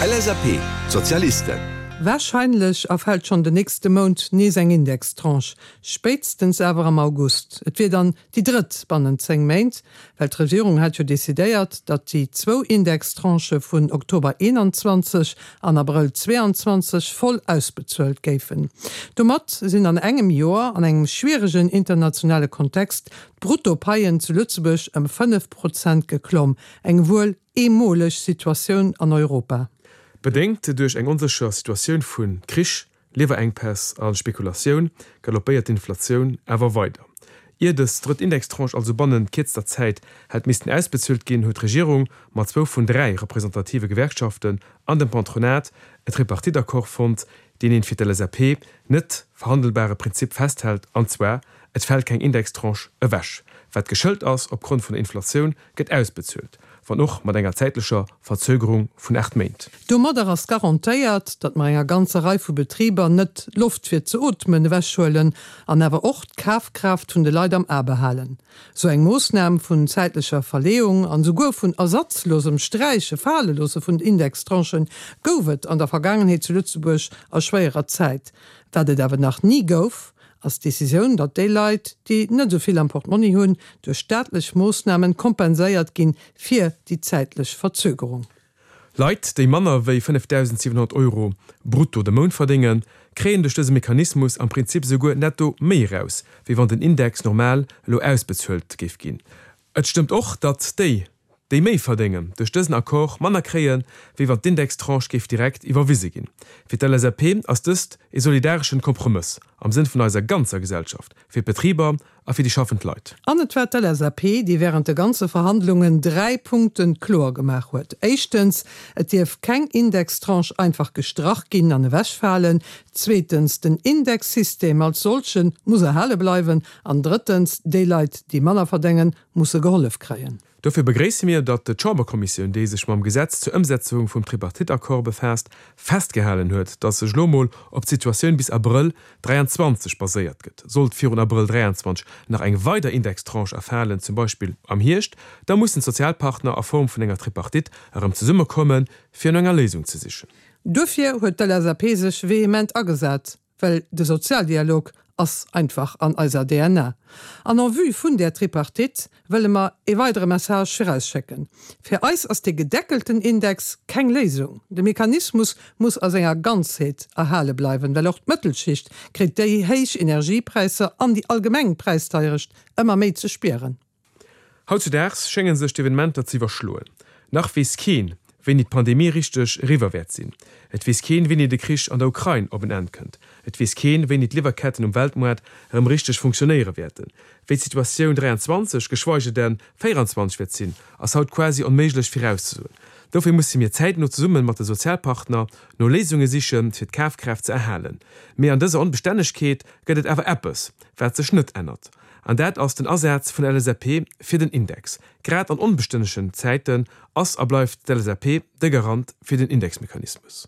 LSAP, Sozialisten. Warscheinlech erfält schonn den nächste Mount nees eng Indextranche, spéitstens awer am August. Et wier dann déi drëtt bannent 10 Méint, well d'Regierung hat jo decidéiert, datt déi zwou Indextranchë vun Oktober 21 an Abrëll 22 voll ausbezuelt géifen. Domat sinn an engem Joer, an engem schwieregen internationale Kontext, d'Bruttopaien zu Lëtzebuerg ëm 5 Prozent geklomm, eng wuel eemoleg Situatioun an Europa. Bedéngt duerch eng onsécher Situatioun vu Krich, Liwwerenkpäss a Spekulatioun galoppéiert d'Inflatioun awer weider. Ier dës drëtt Indextranche also bannent kierzter Zäit hätt missten ausbezuelt ginn, huet d'Regierung mat zwou vun 3 representative Gewerkschaften an dem Patronat e Tripartite-Accord fonnt, deen een fir d'LSAP net verhandelbare Prinzip festhält, an zwar, Et fält keng Indextranche ewech. Wat geschëlt ass opgrond vun der Inflatioun, gëtt ausbezuelt, wann och mat enger zäitlecher Verzögerung vun 8 Méint. Domadder ass garantéiert, datt mer enger ganzer Rei vu Betriber net d'Loft fir ze ootmen ewechhuelen an awer och d'Kafkraaft vun de Leit am A behalen. Sou eng Moossnam vun zäitlecher Verleeung an esouguer vun ersatzlosem Sträiche, Faleloosse vun Indextranchen gouf et an der Vergaangenheet zu Lëtzebuerg a schwéierer Zäit. Wat et awer nach ni gouf, ass d'Decisioun, datt déi Leit, déi net esou vill am Portmonni hunn, duerch staatlech Moossnamen kompenséiert ginn fir déi zäitlech Verzögerung. Leit, déi manner wéi 5.700 Euro brutto de Mount verdéngen, kréien duerch dëse Mechanismus am Prinzip esouguer netto méi eraus, wéi wann den Index normal elo ausbezuelt géif ginn. Et stëmmt och, datt déi, déi méi verdéngen, duerch dësen Accord manner kréien, wéi wann d'Indextranche géif direkt iwwerwise ginn. Fir d'LSAP ass dëst e solidareschen Kompromëss am Sënn vun eiser ganzer Gesellschaft, fir d'Betriber a fir déi schaffend Leit. An et war d'LSAP, déi während de ganze Verhandlungen 3 Punkte kloer gemaach huet. Éischtens, et dierf keng Indextranche einfach gestrach ginn an ewechfalen. Zweetens, den Indexsystem als solche muss erhale bleiwen. An drëttens, déi Leit, déi manner verdéngen, musse gehollef kréien. Dofir begréisse mir, datt d'Chamberkommissioun, déi sech mam Gesetz zur Ëmsetzung vum Tripartite-Accord befaasst, festgehalen huet, datt sech elo mol op d'Situatioun bis Abrëll 23 baséiert gëtt. Sollt virun Abrëll 23 nach eng weider Indextranche erfalen, zum Beispill am Hierscht, da mussen d'Sozialpartner a Form vun enger Tripartite erëm zesummekommen, fir no enger Léisung ze sichen. Duerfir huet d'LSAP sech vehement agesat, Well de Sozialdialog ass einfach an eiser DNA. An en vue vun där Tripartite wëlle mer ee weidere Message virausschécken, Fir eis ass dee gedeckelten Index keng Léisung. De Mechanismus muss a senger Ganzheet erhale bleiwen, well och d'Mëttelschicht kritt déi héich Energiepräisser an déi allgemeng Präisdeierecht ëmmer méi ze spieren. Hautzudaags schénge sech d'Evenementer ze iwwerschloen. Nach weess keen, wéini d'Pandemie richteg eriwwer wäert sinn. Et weess keen, wéini de Krich an der Ukrain op en Enn kënnt. Et weess keen, wéini d'Liwwerketten um Weltmoart erëm richteg funktionéiere wäerten. Wéi d'Situatioun 23, geschweige denn 24 wäert sinn, ass haut quasi onméiglech virauszesoen. Dofir musse mir zäitno zesumme mat de Sozialpartner no Léisunge sichen, fir d'Kafkraaft ze erhalen. Mee an dëser Onbestännegkeet gëtt et awer eppes, wat sech net ännert. An dat ass den Asaz vun der LSAP fir den Index. Grad an onbestënnegen Zäiten ass a bleift d'LSAP de Garant fir den Indexmechanismus.